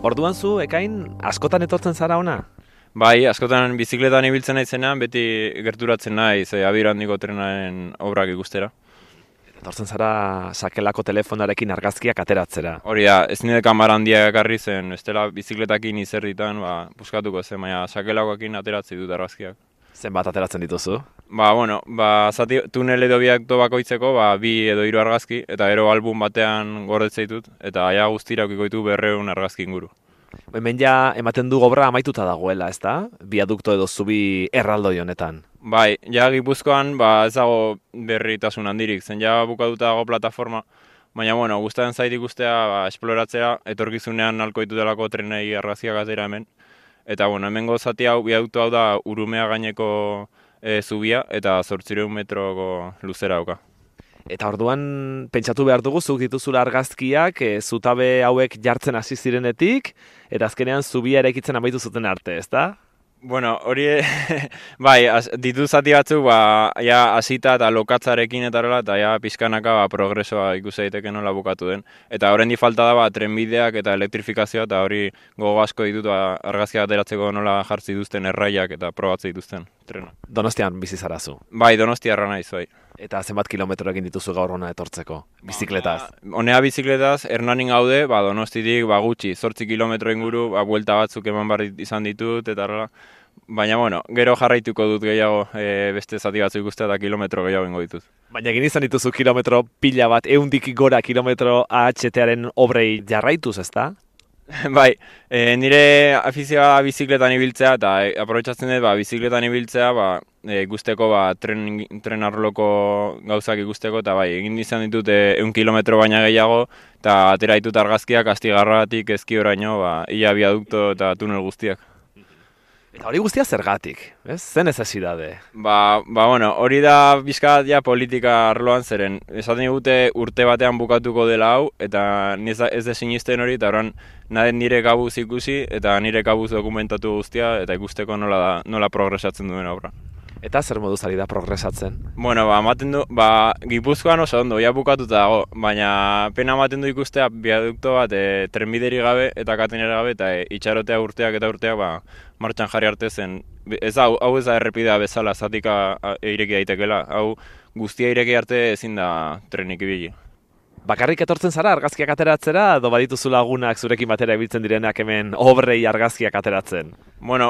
Orduan zu, Ekain, askotan etortzen zara ona? Bai, askotan bizikletan ibiltzen naizenean beti gerturatzen naiz Abir handiko trenaren obrak ikustera. Etortzen zara sakelako telefonarekin argazkiak ateratzera. Hori da, ez nire kamara handia ekarri zen, bestela bizikletakin izerritan, buskatuko zen, baina sakelakoekin ateratzi dut argazkiak. Zenbat ateratzen dituzu? Zati tunel edo biakto bakoitzeko, 2 edo 3 argazki, eta gero album batean gordetzen ditut, eta aia guztira ukikoitu 200 argazki inguru. Hemen ja ematen du obra amaituta dagoela, ezta? Biadukto edo zubi erraldoi honetan. Bai, ja Gipuzkoan ez dago berritasun handirik, zen ja bukatuta dago plataforma, baina gustatzen zait ikustea esploratzea, etorkizunean nahiko ditutelako trenei argazkiak atera hemen. Eta hemengo zati hau, biadukto hau da Urumea gaineko zubia eta 800 metroko luzera dauka. Eta orduan pentsatu behar dugu zuk dituzula argazkiak zutabe hauek jartzen hasi zirenetik, eta azkenean zubia eraikitzen amaitu zuten arte, ezta? Hori, bai, ditu zati batzuk, hasita eta lokatzarekin eta horrela, eta pixkanaka progresoa ikusi daiteke nola bukatu den. Eta horrendi falta da trenbideak eta elektrifikazioa, eta hori gogo asko ditut argazkiak ateratzeko nola jartzi dituzten erraiak eta probatze dituzten trena. Donostian bizi zara zu. Bai, Donostiarra naiz, bai. Eta zenbat kilometro egin dituzu gaur hona etortzeko, bizikletaz? Honea bizikletaz, Hernanin gaude, Donostitik gutxi, 8 kilometro inguru, buelta batzuk eman behar izan ditut, eta horrela. Baina, gero jarraituko dut gehiago beste zati batzuk ikustea eta kilometro gehiago ingo ditut. Baina egin izan dituzu kilometro pila bat, 100 gora kilometro AHT-aren obrei jarraituz, ezta? Bai, nire afizioa bizikletan ibiltzea eta aprobetxatzen dut bizikletan ibiltzea ikusteko tren arloko gauzak ikusteko eta egin izan ditut 100 kilometro baina gehiago eta atera ditut argazkiak Astigarratik Ezkioraino ia biadukto eta tunel guztiak. Eta hori guztia zergatik, ez? Zen necesidade? Hori da bizkat politika arloan zeren. Esaten digute urte batean bukatuko dela hau, eta ez da sinisten hori, eta horan nire kabuz ikusi, eta nire kabuz dokumentatu guztia, eta ikusteko nola progresatzen duen obra. Eta zer moduz ari da progresatzen? Ematen du, Gipuzkoan oso ondo, bukatuta dago, baina pena ematen du ikustea biadukto bat trenbideri gabe eta katenera gabe, eta itxarotea urteak eta urteak martxan jarri arte zen. Hau ez da errepidea bezala, zatika ireki daitekela, hau guztia ireki arte ezin da trenik ibili. Bakarrik etortzen zara argazkiak ateratzera, edo badituzu lagunak zurekin batera ibiltzen direnak hemen obrei argazkiak ateratzen?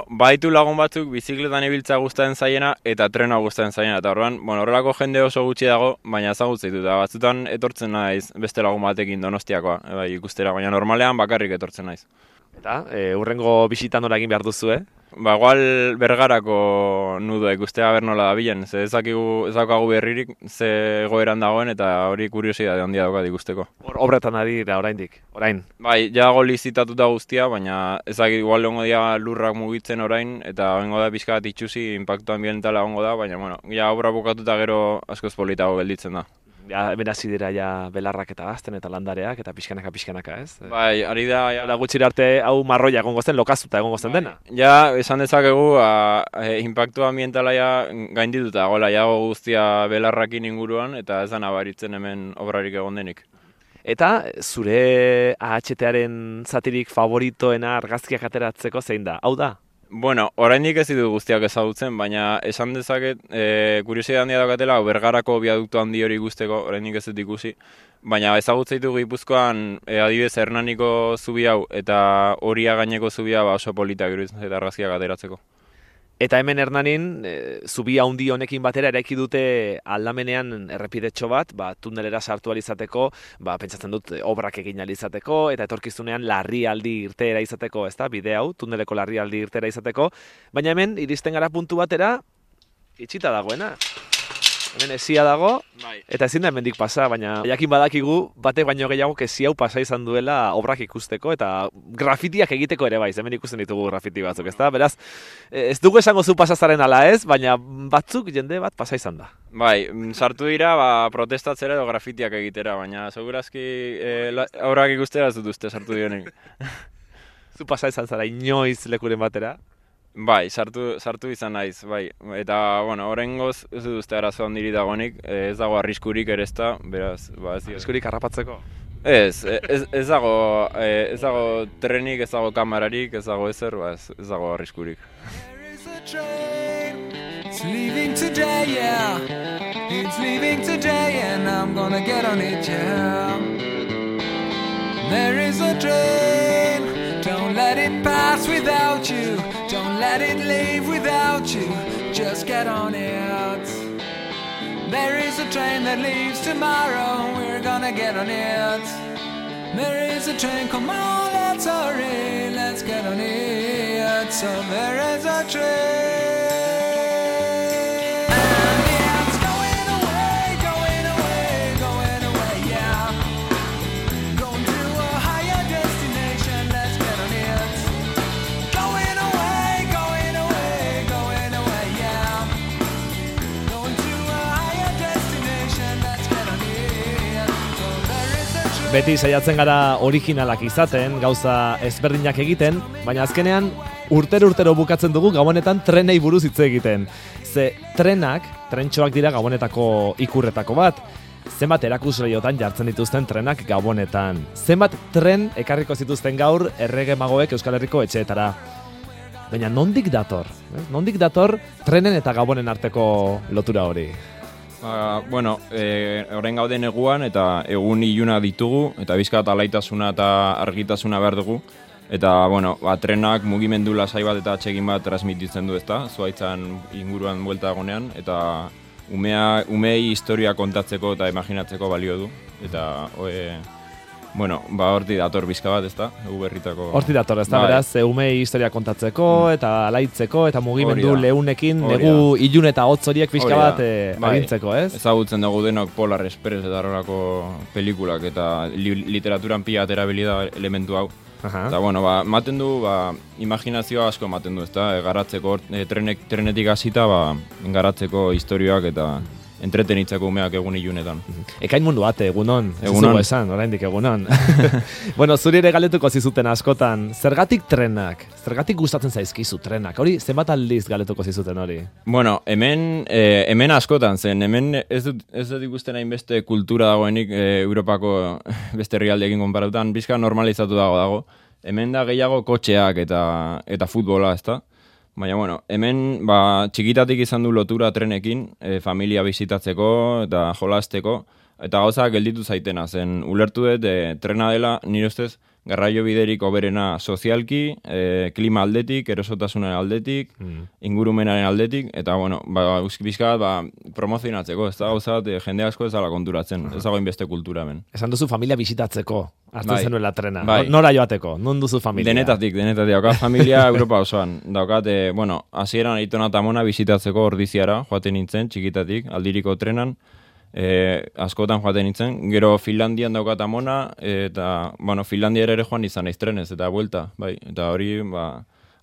Baditu lagun batzuk bizikletan ibiltzea gustatzen zaiena eta trena gustatzen zaiena. Eta horrelako jende oso gutxi dago, baina ezagutzen ditut. Batzutan etortzen naiz beste lagun batekin Donostiakoa ikustera, baina normalean bakarrik etortzen naiz. Eta hurrengo bisitan nola egin behar duzu, Igual Bergarako nudoa ikustea nola dabilen, ez daukagu berririk, ze egoeran dagoen eta hori kuriosidade handia daukat ikusteko. Obretan ari da oraindik, orain? Bai, jago lizitatuta guztia, baina ezakit igual egongo dira lurrak mugitzen orain, eta egongo da pixka bat itxusi, impactu ambientala egongo da, baina obra bukatuta gero askoz politago gelditzen da. Hemen hasi dira belarrak eta gazten eta landareak eta pixkanaka, ez? Bai, ari da... Gutxira arte hau marroia egongo zen, lokazuta egongo zen dena? Esan dezakegu, impactu ambientala gaindituta, jago guztia belarrakin inguruan, eta ez da nabaritzen hemen obrarik egon denik. Eta zure AHT-aren zatirik favoritoena argazkiak ateratzeko zein da? Hau da? Oraindik ez ditut guztiak ezagutzen, baina esan dezaket, kuriosidade handia daukatela, Bergarako biadukto handi hori ikusteko, oraindik ez dut ikusi, baina ezagutzen ditu Gipuzkoan, adibidez Hernaniko zubi hau eta Horia gaineko zubia oso politak iruditzen eta argazkiak ateratzeko. Eta hemen Hernanin, zubi handi honekin batera eraiki dute aldamenean errepidetxo bat, tunelera sartu alizateko, pentsatzen dut obrak egin alizateko, eta etorkizunean larrialdi irteera izateko, ezta, bide hau, tuneleko larrialdi irteera izateko, baina hemen iristen gara puntu batera, itxita dagoena. Hemen esia dago, eta ezin da hemendik pasa, baina jakin badakigu batek baino gehiago esi hau pasa izan duela obrak ikusteko eta grafitiak egiteko ere bai, hemen ikusten ditugu grafiti batzuk, ezta? Beraz, ez dugu esango zu pasazaren ala ez, baina batzuk jende bat pasa izan da. Bai, sartu dira protestatzera edo grafitiak egitera, baina segurazki obrak ikustera ez dut uste sartu dionik. Zu pasa izan zara inoiz lekuren batera? Bai, sartu izan naiz, bai. Eta, horrengoz ez dut uste arazo handiri dagoenik, ez dago arriskurik ere ezta, beraz, ez dira. Arriskurik harrapatzeko? Ez dago trenik, ez dago kamerarik, ez dago ezer, ez dago arriskurik. It's leaving today, yeah. It's leaving today and I'm gonna get on it, yeah. There is a train, don't let it pass without you. Don't let it leave without you. Just get on it. There is a train that leaves tomorrow. We're gonna get on it. There is a train, come on, let's hurry. Let's get on it. So there is a train. Beti saiatzen gara originalak izaten, gauza ezberdinak egiten, baina azkenean urtero bukatzen dugu Gabonetan trenei buruz hitz egiten. Ze trentxoak dira Gabonetako ikurretako bat. Zenbat erakusleiotan jartzen dituzten trenak Gabonetan. Zenbat tren ekarriko zituzten gaur errege magoek Euskal Herriko etxeetara. Baina nondik dator? Nondik dator trenen eta Gabonen arteko lotura hori? Orain gauden eguan eta egun iluna ditugu eta bizkat alaitasuna eta argitasuna behar dugu. Eta, trenak mugimendu lasai bat eta atsegin bat transmititzen du, ezta? Zuhaitzan inguruan buelta dagonean eta umeei historia kontatzeko eta imaginatzeko balio du. Eta, horti dator bizka bat, ezta? Egu berritako... Horti dator, ezta? Beraz, umei historia kontatzeko eta alaitzeko eta mugimendu leunekin negu ilun eta hotz horiek bizka bat agintzeko, ez? Ezagutzen dugu denok Polar Express eta horrelako pelikulak eta literaturan pila erabili da elementu hau. Eta, ematen du, imaginazioa asko ematen du, ezta? Garatzeko, trenetik hasita, garatzeko historioak eta entretenitzeko umeak egun ilunetan. Ekain mundu bate, egunon. Egunon. Esan, oraindik egunon. Zuri ere galetuko zizuten askotan, zergatik trenak? Zergatik gustatzen zaizkizu trenak? Hori, zenbat aldiz galetuko zizuten hori? Hemen askotan zen. Hemen ez dut ikusten hainbeste kultura dagoenik Europako beste herrialdeekin konparatutan, bizka normalizatu dago. Hemen da gehiago kotxeak eta futbola, ezta? Baina, hemen txikitatik izan du lotura trenekin, familia bisitatzeko eta jolasteko, eta gauza gelditu zaitena zen. Ulertu dut, trena dela, nire ustez, garraio biderik hoberena sozialki, klima aldetik, erosotasunen aldetik, ingurumenaren aldetik, eta, bizkat, promozionatzeko, ez da gauza, jende asko ez dala konturatzen, ez dago inbeste kultura hemen. Esan duzu familia bisitatzeko, hartzen zenuela trena, nora joateko, non duzu familia? Denetatik, daukat familia Europa osoan, daukat, hasieran Aitona eta Amona bisitatzeko Ordiziara, joaten nintzen, txikitatik, aldiriko trenan, askotan joaten nintzen, gero Finlandian daukat Amona, eta, Finlandiara ere joan izan naiz trenez, eta buelta, eta hori,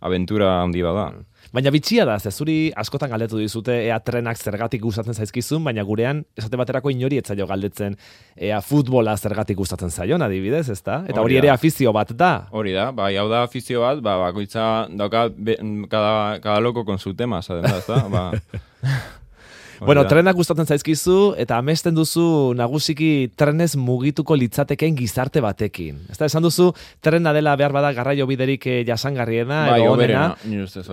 abentura handi bada. Baina bitxia da, zuri askotan galdetu dizute ea trenak zergatik gustatzen zaizkizun, baina gurean, esate baterako inori etzaio galdetzen ea futbola zergatik gustatzen zaion, adibidez, ezta? Eta hori ere afizio bat da. Hori da, hau da afizio bat, bakoitza dauka cada loko con su tema, zaten da, ezta? Trenak gustatzen zaizkizu eta amesten duzu nagusiki trenez mugituko litzatekeen gizarte batekin. Ez da, esan duzu, trena dela behar bada garraio biderik jasangarriena, edo honena. Nire ustez,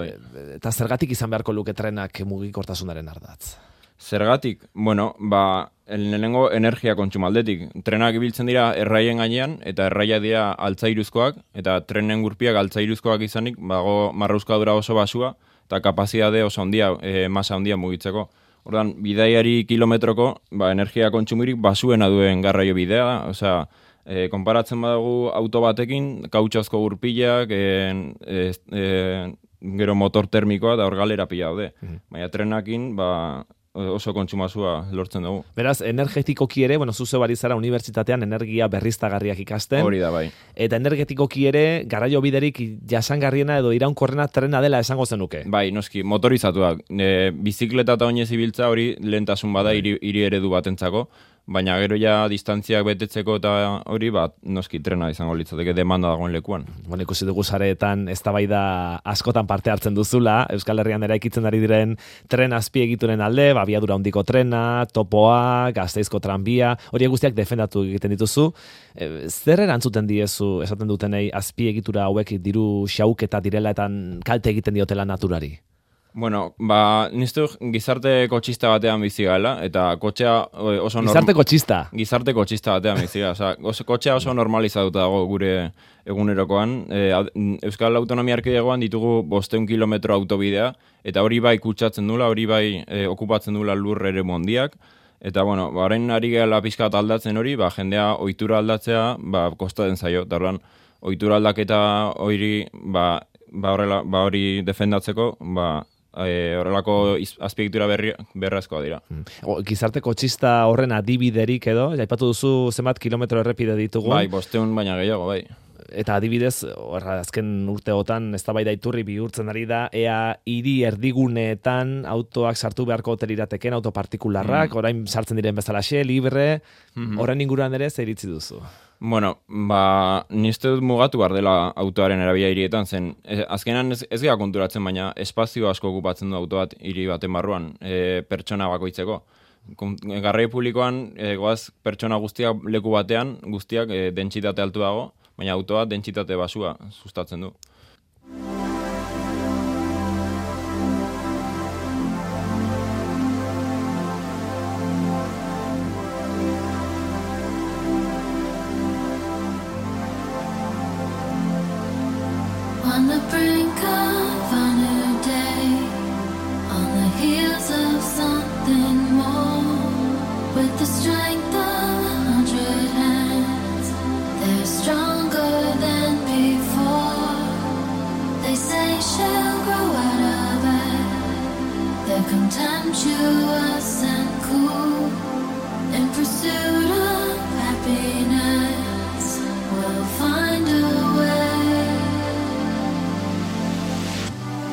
Eta zergatik izan beharko luke trenak mugikortasunaren ardatz? Zergatik, lehenengo energia kontsumaldetik. Trenak ibiltzen dira erraien gainean, eta erraia dira altzairuzkoak, eta trenen gurpiak altzairuzkoak izanik, marrauzkadura oso basua, eta kapazidade oso handia, masa handia mugitzeko. Ordan, bidaiari kilometroko, energia kontsumirik basuena duen garraio bidea, konparatzen badagu auto batekin, kautxozko gurpilak, gero motor termikoa da hor galera pila daude. Baina trenakin, oso kontsumazua lortzen dugu. Beraz, energetikoki ere, zuze bari zara unibertsitatean energia berriztagarriak ikasten. Hori da, bai. Eta energetikoki ere, garraio biderik jasangarriena edo iraunkorrena trena dela esango zenuke. Bai, noski, motorizatuak. Bizikleta eta oinez ibiltza hori lehentasun bada hiri eredu batentzako. baina gero ja distantziak betetzeko eta hori, noski trena izango litzateke demanda dagoen lekuan. Bueno, ikusi dugu sareetan eztabaida askotan parte hartzen duzula, Euskal Herrian eraikitzen ari diren tren azpiegituren alde, abiadura handiko trena, topoa, Gasteizko tranbia, hori guztiak defendatu egiten dituzu. Zer erantzuten diezu, esaten dutenei, azpiegitura hauek diru xauketa direla eta kalte egiten diotela naturari? Bueno, niztu gizarte kotxista batean bizi gala, eta kotxea oso... Gizarte kotxista? Gizarte kotxista batean bizi gala. Kotxea oso normalizatuta dago gure egunerokoan. Euskal Autonomia Erkidegoan ditugu 500 kilometro autobidea, eta hori bai kutsatzen dula, hori bai okupatzen dula lur ere mondiak. Eta, bueno, orain ari gela pixkat aldatzen hori, jendea ohitura aldatzea, kostatzen zaio. Eta horren, ohitura aldaketa hori, hori defendatzeko, horrelako azpiegitura berrazkoa dira. Gizarte kotxista horren adibiderik edo, aipatu duzu zenbat kilometro errepide ditugu. Bai, 500 baina gehiago, bai. Eta adibidez, azken urteotan eztabaida iturri bihurtzen ari da, ea hiri erdiguneetan autoak sartu beharko ote lirateken, autopartikularrak, orain sartzen diren bezalaxe, libre, horren inguruan ere zer iritzi duzu? Bueno, nizte dut mugatu behar dela autoaren erabila hirietan zen. Azkenan ez gara konturatzen, baina espazio asko okupatzen du auto bat hiri baten barruan, pertsona bakoitzeko. Garraio publikoan, goaz pertsona guztiak leku batean, guztiak dentsitate altu dago, baina autoa dentsitate basua sustatzen du. On the brink of a new day, on the heels of something more, with the strength of 100 hands, they're stronger than before. They say she'll grow out of it, they're contemptuous and cool, in pursuit of happiness, we'll find a way.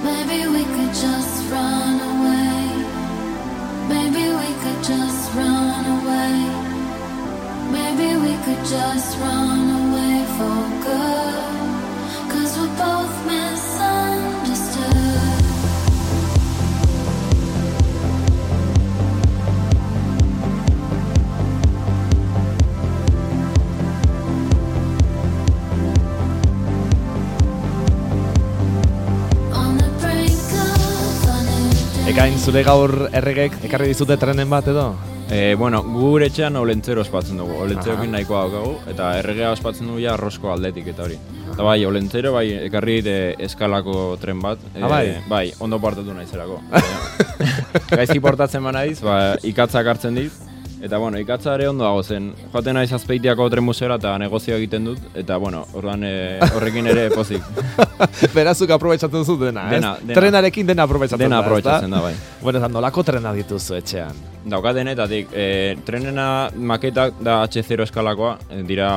Maybe we could just run away. Maybe we could just run away. Maybe we could just run away for good. 'Cause we're both misunderstood. Ekain, zure gaur erregek ekarri dizute trenen bat edo? Bueno, gure etxean olentzero ospatzen dugu, olentzerokin nahikoa daukagu, eta erregea ospatzen dugu ja arrosko aldetik eta hori. Eta bai, olentzero, bai, ekarri eskalako tren bat, bai, ondo partatu naizerako. Gaizki portatzen naiz, ikatzak hartzen diz, eta bueno, ikatza ere ondo dago zen, joaten naiz Azpeitiako tren museora eta negozio egiten dut, eta bueno, horrekin ere pozik. Berazuk aprobetsatzen zu dena, ez? Trenarekin dena aprobetsatzen da, dena aprobetsatzen da, bai. Bueno, eta nolako trena dituzu etxean? Daukat denetatik, trenena maketak da H0 eskalakoa, dira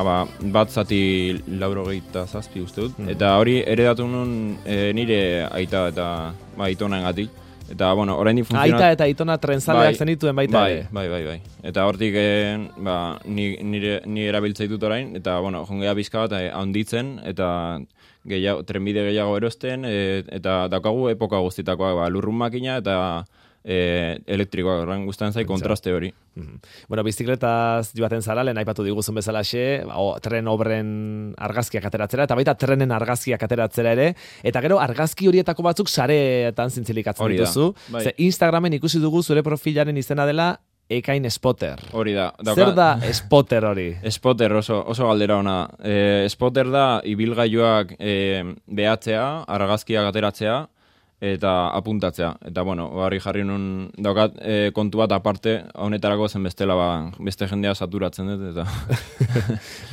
bat zati 87 uste dut, eta hori eredatu nun nire aita eta aitonengatik. Eta, bueno, oraindik funtzionat... Aita eta aitona trenzaleak zenituen baita ere? Bai. Eta hortik ni erabiltzei dut orain, eta, bueno, jongea bizka bat handitzen, eta trenbide gehiago erosten, eta daukagu epoka guztitakoa, lurrun makina eta elektrikoak, horren guztan zai kontraste hori. Bueno, bizikletaz joaten zara, lehen aipatu diguzun bezalaxe, tren obren argazkiak ateratzera, eta baita trenen argazkiak ateratzera ere, eta gero argazki horietako batzuk sareetan zintzilikatzen dituzu. Ze Instagramen ikusi dugu zure profilaren izena dela Ekain Spotter. Hori da. Zer da Spotter hori? Spotter oso galdera ona. Spotter da ibilgailuak behatzea, argazkiak ateratzea, eta apuntatzea. Eta, bueno, jarri nun daukat kontu bat aparte, honetarako zen bestela, beste jendea saturatzen dut, eta...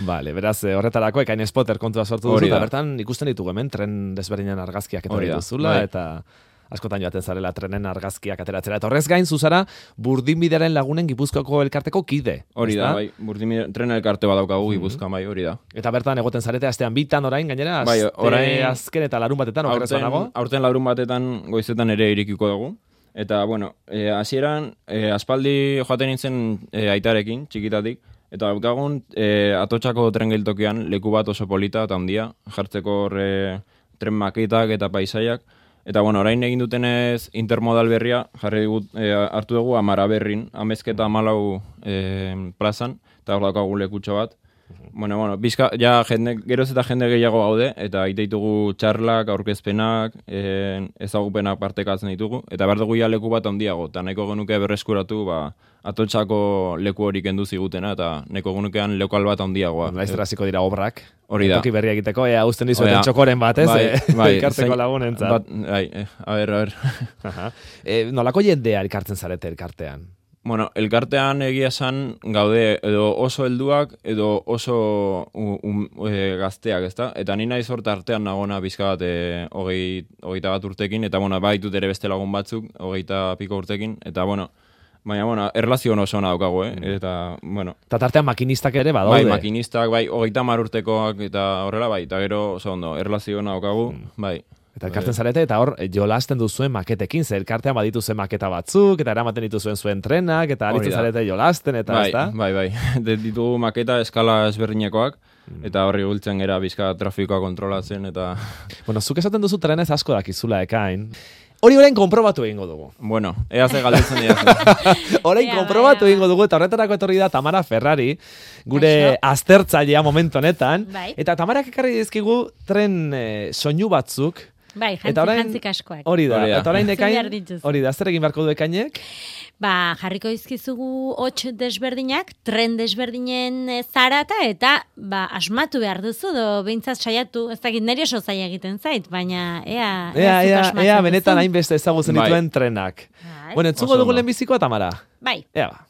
Vale, beraz, horretarako Ekain Spotter kontua sortu duzu, eta bertan ikusten ditugu hemen, tren desberdinan argazkiak eta dituzula, eta askotan joaten zarela trenen argazkiak ateratzera. Eta horrez gain, zuzara, Burdinbidearen Lagunen Gipuzkoako elkarteko kide. Hori da, bai, Burdinbide tren elkarte bat daukagu Gipuzkoan, bai, hori da. Eta bertan egoten zarete astean bitan orain, gainera, aste azken eta larun batetan, okerezo nago? Aurten larun batetan goizetan ere irikiko dugu. Eta, bueno, hasieran aspaldi joaten nintzen aitarekin, txikitatik, eta daukagun Atotxako tren geltokian leku bat oso polita eta handia, jartzeko tren maketak eta paisaiak. Eta, bueno, orain egin dutenez intermodal berria, hartu dugu Amaraberrin, Amezketa 14 plazan, eta hor daukagu lekutxo bat. Bueno, bizka, ja geroz eta jende gehiago gaude, eta egite ditugu txarlak, aurkezpenak, ezagupenak partekatzen ditugu, eta behar dugu ja leku bat handiago, eta nahiko genuke berreskuratu, Atotxako leku hori kendu zigutena, eta nahiko genukean lokal bat handiagoa. Laiztera hasiko dira obrak. Hori da. Toki berria egiteko, uzten dizueten txokoren bat, ez? Bai, Elkarteko lagunentzat. A ver. Nolako jendea elkartzen zarete elkartean? Bueno, elkartean egia esan gaude edo oso helduak edo oso gazteak, ezta? Eta ni naiz hor tartean nagona bizka bat 21 urtekin, eta bueno, baitut ere beste lagun batzuk 20 piko urtekin, eta bueno, baina, erlazio oso ona daukagu, eta, bueno. Eta tartean makinistak ere badaude. Bai, makinistak, bai, 30 urtekoak eta horrela, bai, eta gero oso ondo, erlazio ona daukagu, bai. Eta elkartzen zarete, eta hor, jolasten duzuen maketekin, ze elkartean baditu zuen maketa batzuk, eta eramaten dituzuen zuen trenak, eta aritzen zarete jolasten, eta bai, ez da? Bai, ditugu maketa eskala ezberdinekoak, eta horri gultzen gera bizka trafikoa kontrolatzen, eta... Bueno, zuk esaten duzu trenez asko dakizula ekain. Hori orain konprobatu egingo dugu. Bueno, ea ze galdetzen dira. Orain konprobatu egingo dugu, eta horretarako etorri da Tamara Ferrari, gure aztertzailea momentu honetan, eta Tamarak ekarri dizkigu tren soinu batzuk. Bai, jantzik askoak. Hori da, eta orain ekain, hori da, zer egin beharko du ekainek? Jarriko izkizugu 8 desberdinak, tren desberdinen zarata, eta asmatu behar duzu, behintzat saiatu, ez dakit neri oso zaila egiten zait, baina ea benetan hainbeste ezagutzen dituen trenak. Bueno, entzungo dugu lehenbizikoa, Tamara? Bai. Ea ba.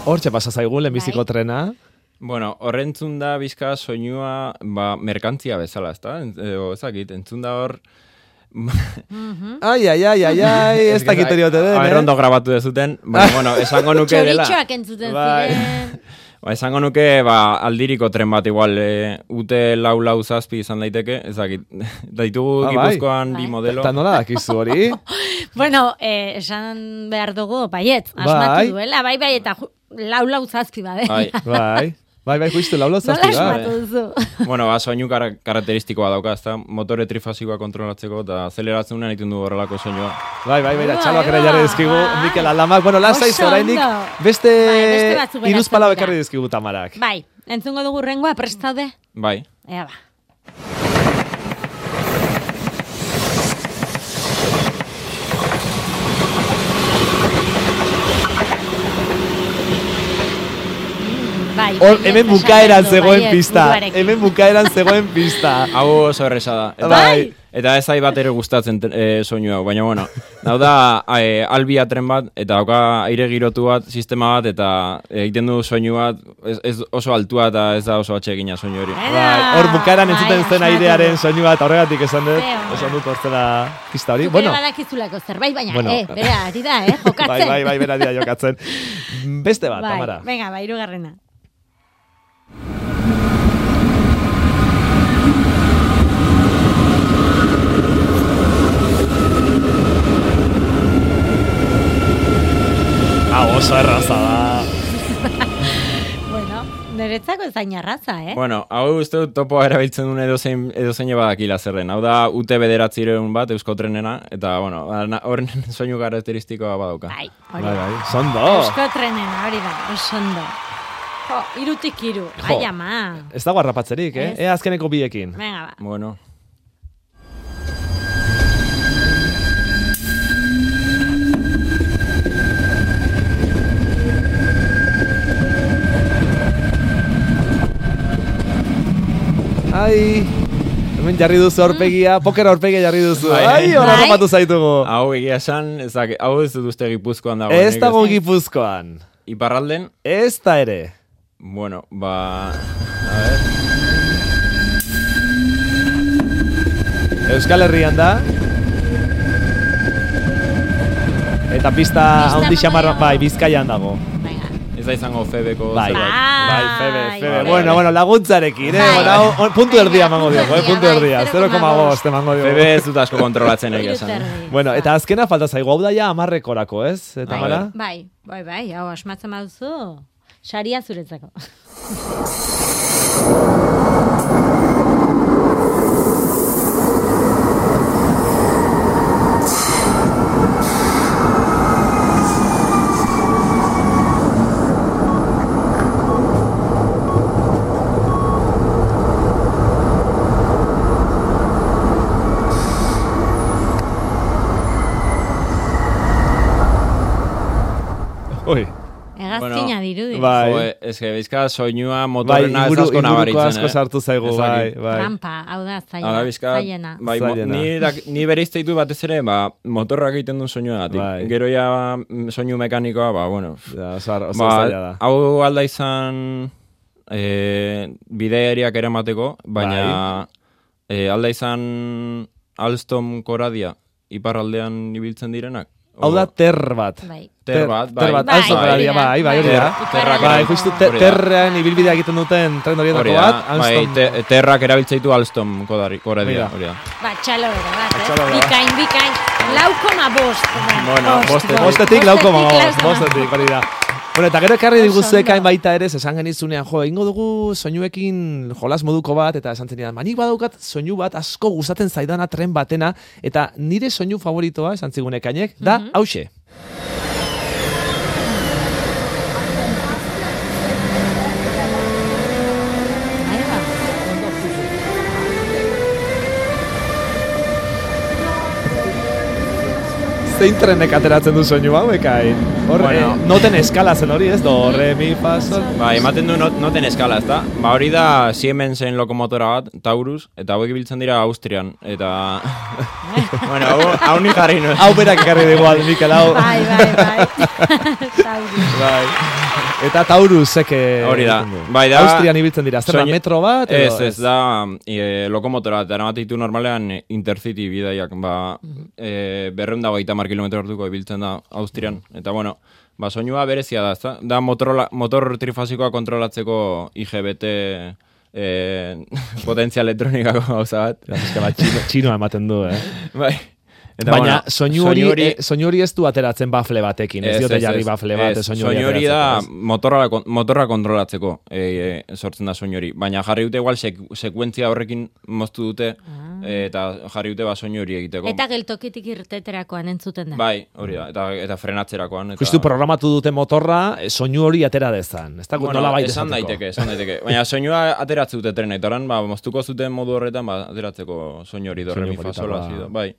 Hortxe pasa zaigu lehenbiziko trena. Bueno, horrentzun da bizka soinua merkantzia bezala, ezta? Ezakit, entzun da hor... Ai, ez dakit eriote den, Ondo grabatu dezuten, bueno, esango nuke dela... Txoritxoak entzuten ziren... Esango nuke, aldiriko tren bat igual, ute lau zazpi izan daiteke, ezakit, daitugu Gipuzkoan bi modelo. Eta nola dakizu hori? Bueno, esan behar dugu, baiet, asmatu duela, bai, eta lau zazpi bade. Bai, justu, lau zazpi, nola asmatu duzu? Bueno, soinu karakteristikoa dauka, ezta, motore trifasikoa kontrolatzeko, eta azeleratzen unean egiten du horrelako soinua. Bai, txaloak ere jarri dizkigu, Mikel Aldamak, bueno, lasaiz orainik, beste iruzpalau ekarri dizkigu Tamarak. Bai, entzungo dugu rengoa, prestaude? Bai. Ea ba. Hemen bukaeran zegoen pista. Hau oso erresa da. Bai. Eta ez zai bat ere gustatzen soinu hau, baina bueno. Hau da albia tren bat, eta dauka aire girotu bat, sistema bat, eta egiten du soinu bat, ez oso altua eta ez da oso atsegina soinu hori. Hor bukaeran entzuten zen airearen soinu bat, horregatik esan dut hortzela pista hori. Zukera badakizulako zerbait, baina, bera, ari da, jokatzen. Bai, bera ari da jokatzen. Beste bat, Tamara. Venga, hirugarrena. Oso erraza da. Bueno, niretzako ezain arraza, Bueno, hau uste dut topoa erabiltzen duen edozein badakila zerren. Hau da UT 900 bat, Eusko Trenena, eta, bueno, horren soinu karakteristikoa badauka. Bai, hori. Sondo. Eusko Trenena, hori da, sondo. Irutik iru, ai ama. Ez dago harrapatzerik, azkeneko biekin. Venga, ba. Bueno. Ai, hemen jarri duzu aurpegia, poker aurpegia jarri duzu. Ai, horra rapatu zaitugu. Hau egia esan, hau ez dut uste Gipuzkoan dago. Ez dago Gipuzkoan. Iparralden? Ez da ere. Bueno, Euskal Herrian da. Eta pista handi xamar, bai, Bizkaian dago. Venga. Ez da izango Febeko Bai, Bai, Febe. bai. Bueno, laguntzarekin, Bai. puntu erdia emango diogu, puntu Bai, erdia, 0,5 emango diogu. Febe ez dut asko kontrolatzen egia esan. Bueno, eta azkena falta zaigu, hau da ja 10-ekorako, ez? Eta mara? Bai, hau asmatzen baduzu, saria zuretzako. Oi. Hegazkina dirudi. Bai. Jo, ez que bizka soinua Bai, motorrena ez asko inguruko nabaritzen, asko sartu zaigu, Ez bai, dakit. bai. Trampa, hau da, Hala bizka, zaiena. bai, Zailena. ni bereizte ditu batez ere, motorrak egiten duen soinuagatik. Bai. Gero ja soinu mekanikoa, bueno. Ja, oso zaila da. Hau alda izan bidaiariak eramateko, baina alda izan Alstom koradia iparraldean ibiltzen direnak. Hau da ter bat. Bai. Ter bat, Ter bat, Bai, Alstom koradia, bai, hori da. Terrak Bai, erabiltzen- justu hori da. terrean ibilbidea egiten duten tren horietako Hori da, bat, bai, Alstom. terrak erabiltzeitu Alstom koradia, Mira. hori da. Ba, txalo bero bat, Txalo bero. Bikain. 9,5. Bueno, Bostetik lauko Bostetik, bostetik, hori da. Bueno, eta gero ekarri diguzu ekain baita ere, esan genizunean, ingo dugu soinuekin jolas moduko bat, eta esan zenidan, manik badaukat soinu bat asko gustatzen zaidana tren batena, eta nire soinu favoritoa, esan zigun ekainek, da, hauxe. Zein trenek ateratzen du soinu hau ekain? Hor, Bueno. noten eskala zen hori, ez? Do, re, mi, fa, sol. Ba, ematen du noten eskala, ezta? Ba, hori da Siemensen lokomotora bat, Taurus, eta hauek ibiltzen dira Austrian, eta... bueno, hau ni jarri nuen. Hau berak ekarri dugu Mikel, hau. Bai. Taurus. Bai. Eta Taurusek Hori da. egiten du. Bai, da- Austrian ibiltzen dira, zer da, Soinu- metro bat? edo Ez, da lokomotora, eta eramaten ditu normalean Intercity bidaiak, 250 kilometro orduko ibiltzen da Austrian, eta bueno, soinua berezia da, ezta? Da motor trifasikoa kontrolatzeko IGBT potentzia elektronikako gauza bat. Txinoa ematen du, Bai. Eta, Baina bueno, soinu hori ez du ateratzen bafle batekin, ez diote jarri bafle bat, soinu hori hori da ateratzeko, motorra kontrolatzeko sortzen da soinu hori. Baina jarri dute igual sekuentzia horrekin moztu dute eta jarri dute soinu hori egiteko. Eta geltokitik irteterakoan entzuten da. Bai, hori da, eta frenatzerakoan. Eta... Justu programatu dute motorra, soinu hori atera dezan. Ez da, Bueno, nola baita esan daiteke. Baina soinua ateratze dute trena, eta oran, moztuko zuten modu horretan, ateratzeko soinu hori do, re, mi, fa, sol, politakoa. hasi do, bai.